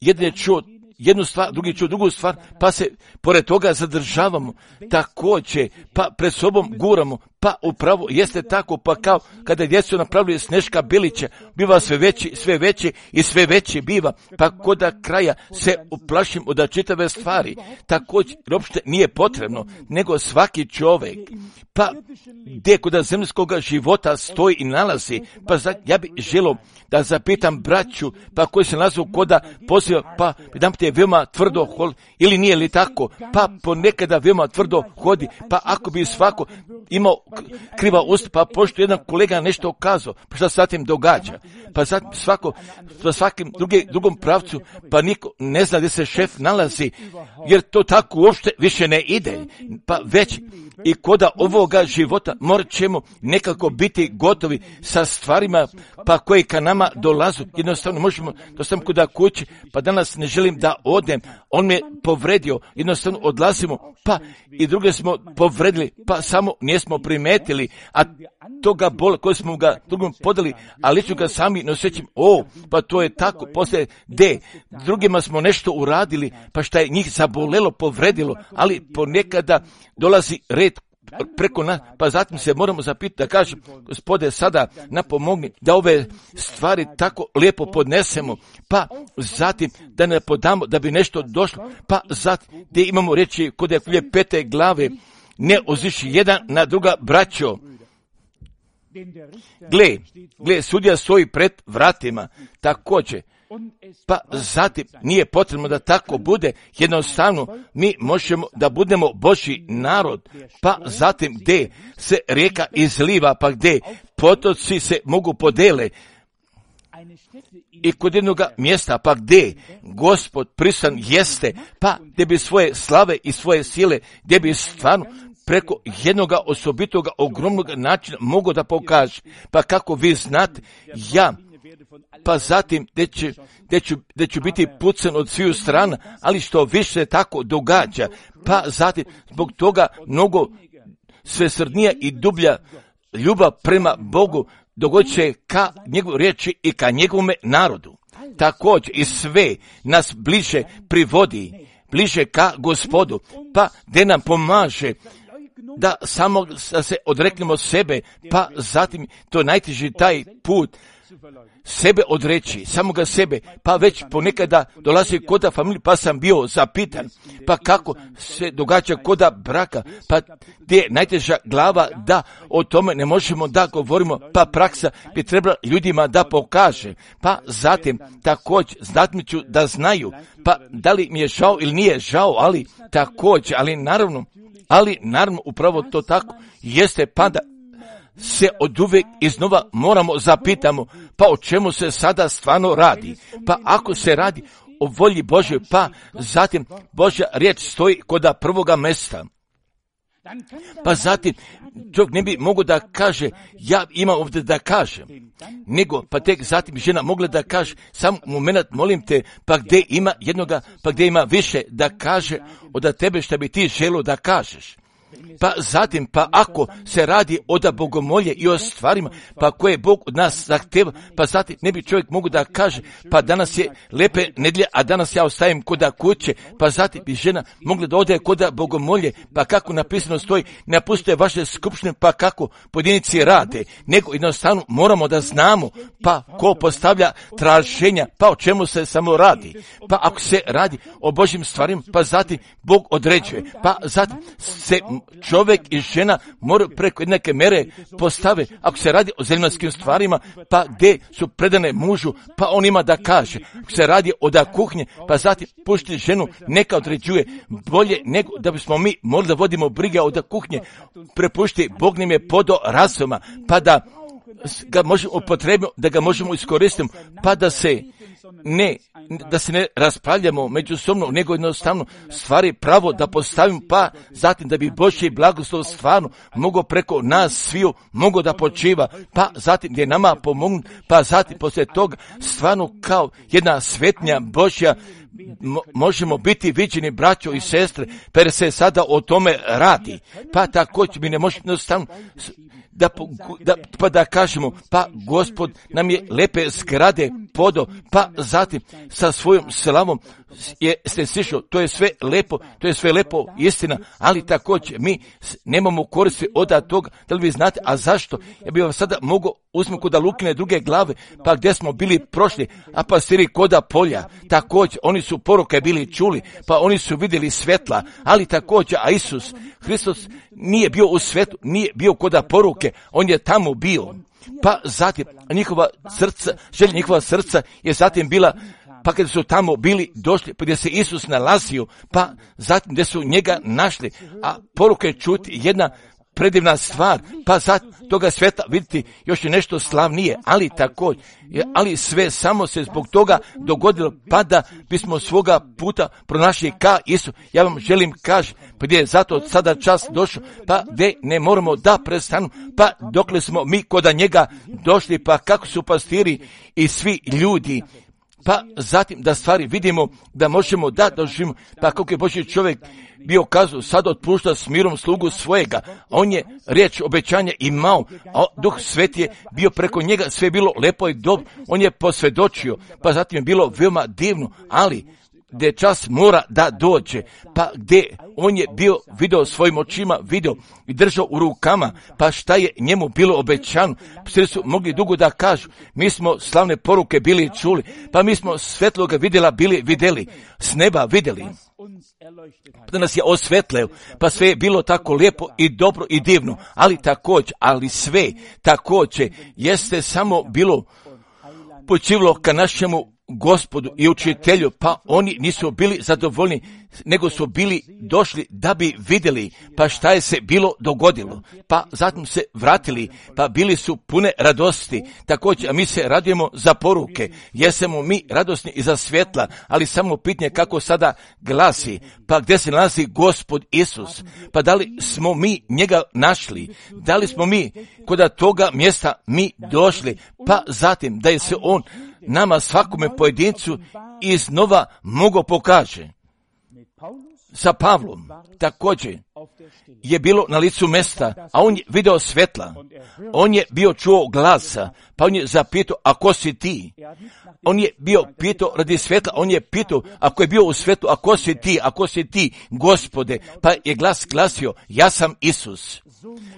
jedan je čuo jednu stvar, drugi čuo drugu stvar, pa se pored toga zadržavamo, također, pa pred sobom guramo, pa upravo jeste tako, pa kao kada djecu napravili Sneška Bilića, biva sve veći, sve veći i sve veći biva, pa koda kraja se uplašim od čitave stvari, također uopšte nije potrebno, nego svaki čovjek, pa gdje koda zemljskog života stoji i nalazi, pa za, ja bih želio da zapitam braću, pa koji se nalazu koda poziva, pa dam te veoma tvrdo hod, ili nije li tako, pa ponekada veoma tvrdo hodi, pa ako bi svako imao kriva usta, pa pošto jedan kolega nešto kazao, pa šta se zatim događa, pa zatim svako, pa svakim drugi, drugom pravcu, pa niko ne zna gdje se šef nalazi, jer to tako uopšte više ne ide, pa već i koda ovoga života morat ćemo nekako biti gotovi sa stvarima, pa koje ka nama dolazu, jednostavno možemo, to sam kuda kući, pa danas ne želim da odem, on me povredio, jednostavno odlazimo, pa i druge smo povredili, pa samo nismo primetili, a toga bola koje smo ga drugom podali, a lično ga sami ne osjećam, o, pa to je tako, poslije D, drugima smo nešto uradili, pa šta je njih zabolelo, povredilo, ali ponekada dolazi red preko nas, pa zatim se moramo zapitati da kažem, Gospode, sada napomogni da ove stvari tako lijepo podnesemo, pa zatim da ne podamo da bi nešto došlo, pa zatim gdje imamo reći kod je pete glave, ne oziši jedan na druga braćo. Gle, gle, sudija stoji pred vratima, također, pa zatim nije potrebno da tako bude, jednostavno mi možemo da budemo Božji narod, pa zatim gdje se rijeka izliva, pa gdje potoci se mogu podele, i kod jednog mjesta, pa gdje Gospod pristan jeste, pa gdje bi svoje slave i svoje sile, gdje bi stvarno preko jednog osobitog ogromnog načina mogu da pokaže, pa kako vi znate, ja, pa zatim gdje ću, gdje ću, gdje ću biti pucan od sviju strana, ali što više tako događa, pa zatim zbog toga mnogo svesrdnija i dublja ljubav prema Bogu dogodit će ka njegovoj riječi i ka njegovome narodu. Također i sve nas bliže privodi, bliže ka Gospodu, pa gdje nam pomaže da samo da se odreknemo sebe, pa zatim to najteži taj put, sebe odreći, samoga sebe, pa već ponekada dolazi koda familije, pa sam bio zapitan, pa kako se događa koda braka, pa gdje je najteža glava da o tome ne možemo da govorimo, pa praksa bi trebala ljudima da pokaže, pa zatim također znatmiću da znaju, pa da li mi je žao ili nije žao, ali također, ali naravno, ali naravno upravo to tako jeste, pa da se od uvijek iznova moramo zapitamo, pa o čemu se sada stvarno radi, pa ako se radi o volji Božjoj, pa zatim Božja riječ stoji koda prvoga mjesta, pa zatim čovjek ne bi mogao da kaže, ja imam ovdje da kažem, nego pa tek zatim žena mogla da kaže, sam moment molim te, pa gdje ima jednoga, pa gdje ima više da kaže od tebe što bi ti želio da kažeš. Pa zatim, pa ako se radi o da bogomolje i o stvarima, pa koje Bog od nas zahteva, pa zatim ne bi čovjek mogu da kaže, pa danas je lepe nedjelje, a danas ja ostajem koda kuće, pa zatim bi žena mogla da ode koda bogomolje, pa kako napisano stoji, ne napustite vaše skupštine, pa kako pojedinci rade, nego jednostavno moramo da znamo, pa ko postavlja traženja, pa o čemu se samo radi, pa ako se radi o Božjim stvarima, pa zatim Bog određuje, pa zatim se čovjek i žena moraju preko jednake mere postave, ako se radi o zemaljskim stvarima, pa gdje su predane mužu, pa on ima da kaže, ako se radi o da kuhnje, pa zatim pušti ženu, neka određuje, bolje nego da bismo mi morali da vodimo brige o da kuhnje, prepušti, Bog nam je podo razuma, pa da ga možemo upotrebiti, da ga možemo iskoristiti, pa da se ne, da se ne raspravljamo međusobno, nego jednostavno stvari pravo da postavimo, pa zatim da bi Božji blagoslov stvarno mogao preko nas sviju, mogao da počiva, pa zatim gdje nama pomognu, pa zatim poslije toga stvarno kao jedna svetnja Božja Mo, možemo biti viđeni braćo i sestre, per se sada o tome radi. Pa također mi ne možemo jednostavno da, da, pa da kažemo, pa Gospod nam je lepe zgrade podo, pa zatim sa svojom slavom je ste sišao, to je sve lepo, to je sve lepo istina, ali također mi nemamo koristi od toga, da li vi znate, a zašto? Ja bih vam sada mogao uzmem kod Lukine druge glave, pa gdje smo bili prošli, a pastiri koda polja, također, oni su poruke bili čuli, pa oni su vidjeli svetla, ali također, a Isus, Hristos nije bio u svetu, nije bio koda poruke, on je tamo bio, pa zatim njihova srca, želja njihova srca je zatim bila, pa kada su tamo bili došli, pa gdje se Isus nalazio, pa zatim gdje su njega našli, a poruke čuti jedna predivna stvar, pa za toga sveta vidjeti još je nešto slavnije, ali također, ali sve samo se zbog toga dogodilo, pa da bismo svoga puta pronašli ka Isu. Ja vam želim kaži, pa gdje je zato sada čas došao, pa gdje ne moramo da prestanu, pa dokle smo mi koda njega došli, pa kako su pastiri i svi ljudi, pa zatim da stvari vidimo, da možemo da doživimo, pa kako je Božji čovjek bio kazao, sad otpušta s mirom slugu svojega, on je riječ obećanja imao, a Duh Sveti je bio preko njega, sve je bilo lepo i dobro, on je posvjedočio, pa zatim je bilo veoma divno, ali gdje čas mora da dođe, pa gdje on je bio video svojim očima, video i držao u rukama, pa šta je njemu bilo obećano, svi su mogli dugo da kažu, mi smo slavne poruke bili čuli, pa mi smo svetloga vidjela bili vidjeli, s neba vidjeli, da nas je osvetleo, pa sve je bilo tako lijepo i dobro i divno, ali također, ali sve također jeste samo bilo počivlo ka našemu Gospodu i učitelju, pa oni nisu bili zadovoljni, nego su bili došli da bi vidjeli, pa šta je se bilo dogodilo, pa zatim se vratili, pa bili su pune radosti, također, a mi se radujemo za poruke, jesmo mi radosni i za svjetla, ali samo pitanje kako sada glasi, pa gdje se nalazi Gospod Isus, pa da li smo mi njega našli, da li smo mi kod toga mjesta mi došli, pa zatim da je se on nama svakome pojedincu iznova mogao pokaže. Sa Pavlom također je bilo na licu mesta, a on je video svetla, on je bio čuo glasa, pa on je zapitao, a ko si ti? On je bio pitao radi svetla, on je pitao, ako je bio u svetu, a ko si ti, a ko si ti, Gospode, pa je glas glasio, ja sam Isus.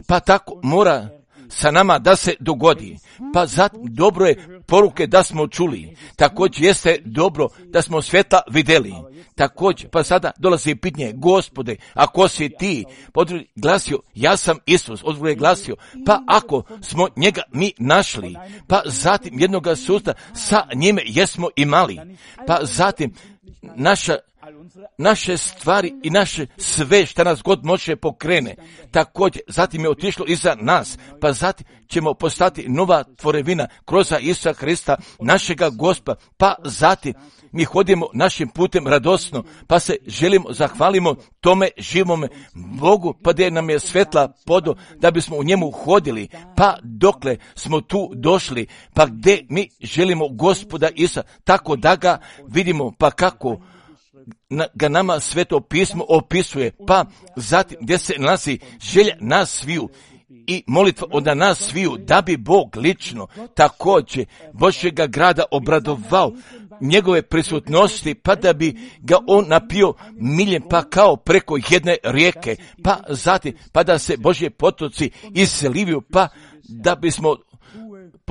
Pa tako mora sa nama da se dogodi. Pa zato dobro je poruke da smo čuli. Također jeste dobro da smo svjetla vidjeli. Također, pa sada dolazi pitanje, Gospode, a ko si ti? Odgovor je glasio, ja sam Isus. Odgovor je glasio, pa ako smo njega mi našli, pa zatim jednoga susta sa njime jesmo imali. Pa zatim naša naše stvari i naše sve što nas god može pokrene. Također, zatim je otišlo iza nas, pa zatim ćemo postati nova tvorevina kroz Isusa Hrista, našega Gospa, pa zatim mi hodimo našim putem radosno, pa se želimo, zahvalimo tome živome Bogu, pa da nam je svetla podo, da bismo u njemu hodili, pa dokle smo tu došli, pa gdje mi želimo Gospoda Isusa, tako da ga vidimo, pa kako ga nama Sveto pismo opisuje, pa zatim gdje se nalazi želja nas sviju i molitva od nas sviju, da bi Bog lično također Božjega grada obradovao njegove prisutnosti, pa da bi ga on napio miljem, pa kao preko jedne rijeke, pa zatim, pa da se Božje potoci iseliviju, pa da bismo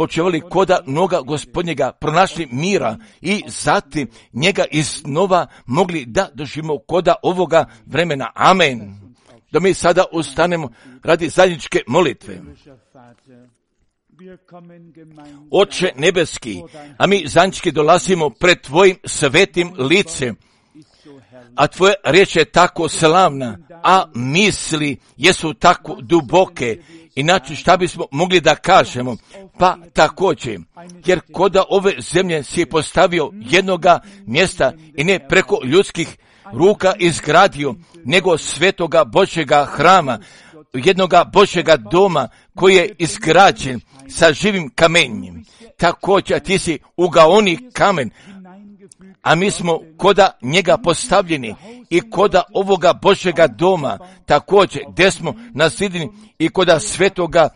počevali koda noga Gospodnjega, pronašli mira i zatim njega iznova mogli da doživimo koda ovoga vremena. Amen. Da mi sada ustanemo radi zajedničke molitve. Oče nebeski, a mi zajednički dolazimo pred tvojim svetim licem, a tvoja riječ je tako slavna, a misli jesu tako duboke Inače šta bismo mogli da kažemo? Pa također, jer koda ove zemlje si je postavio jednoga mjesta i ne preko ljudskih ruka izgradio, nego svetoga Božjega hrama, jednoga Božjega doma koji je izgrađen sa živim kamenjem. Također ti si ugaoni kamen, a mi smo koda njega postavljeni i koda ovoga Božjega doma, također gdje smo nasljedini i koda svetoga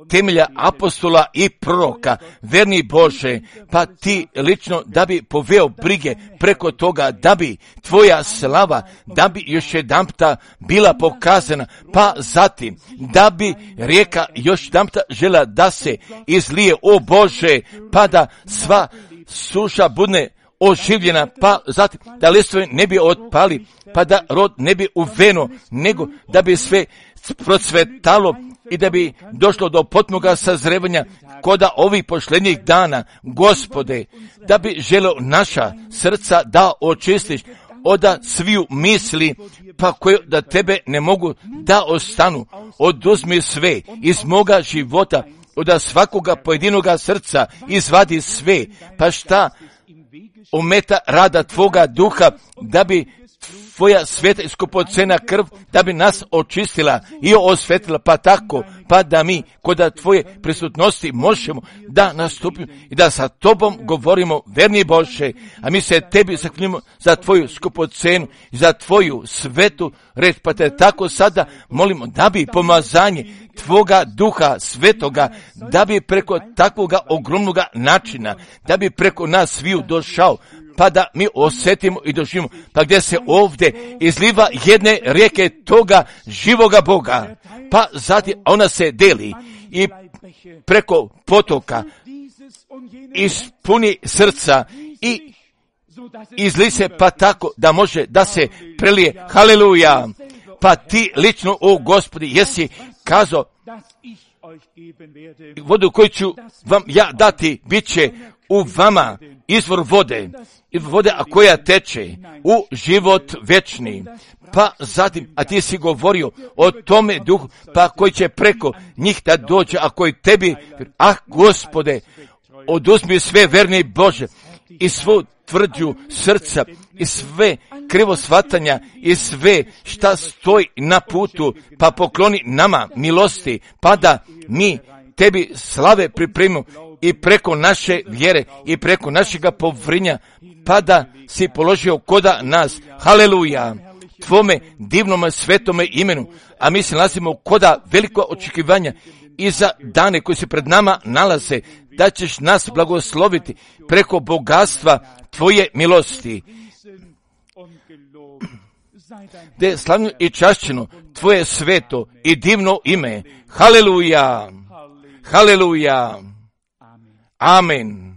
temelja apostola i proroka, verni Bože, pa ti lično da bi poveo brige preko toga, da bi tvoja slava, da bi još jedanputa bila pokazana, pa zatim da bi rijeka još jedanputa žela da se izlije, o Bože, pa da sva suša bude oživljena, pa zatim da listovi ne bi otpali, pa da rod ne bi uveno, nego da bi sve procvetalo i da bi došlo do potpunoga sazrevanja koda ovih posljednjih dana, Gospode, da bi želeo naša srca da očistiš od sviju misli, pa koje da tebe ne mogu da ostanu. Oduzmi sve iz moga života, od svakoga pojedinoga srca izvadi sve, pa šta ometa rada tvoga duha, da bi tvoja sveta i skupocena krv, da bi nas očistila i osvetila, pa tako, pa da mi kod tvoje prisutnosti možemo da nastupimo i da sa tobom govorimo, verni Bože, a mi se tebi zahvaljujemo za tvoju skupocenu i za tvoju svetu red, pa te tako sada molimo da bi pomazanje tvoga duha svetoga, da bi preko takvoga ogromnoga načina, da bi preko nas sviju došao, pa da mi osjetimo i doživimo, pa gdje se ovdje izliva jedne rijeke toga živoga Boga, pa zatim ona se deli i preko potoka ispuni srca i izli se, pa tako da može da se prelije. Haleluja! Pa ti lično, o Gospodi, jesi kazao, vodu koju ću vam ja dati, bit će u vama izvor vode, vode a koja teče u život večni. Pa zatim, a ti si govorio o tome duhu, pa koji će preko njih da dođe, a koji tebi, ah Gospode, oduzmi sve, verni Bože, i svu tvrđu srca, i sve krivo shvatanja, i sve šta stoji na putu, pa pokloni nama milosti, pa da mi tebi slave pripremimo i preko naše vjere i preko našega povrinja, pa da si položio koda nas. Haleluja! Tvome divnome svetome imenu, a mi se nalazimo koda veliko očekivanja i za dane koji se pred nama nalaze, da ćeš nas blagosloviti preko bogatstva tvoje milosti. Da je slavno i čašćeno tvoje sveto i divno ime. Haleluja! Haleluja! Amen.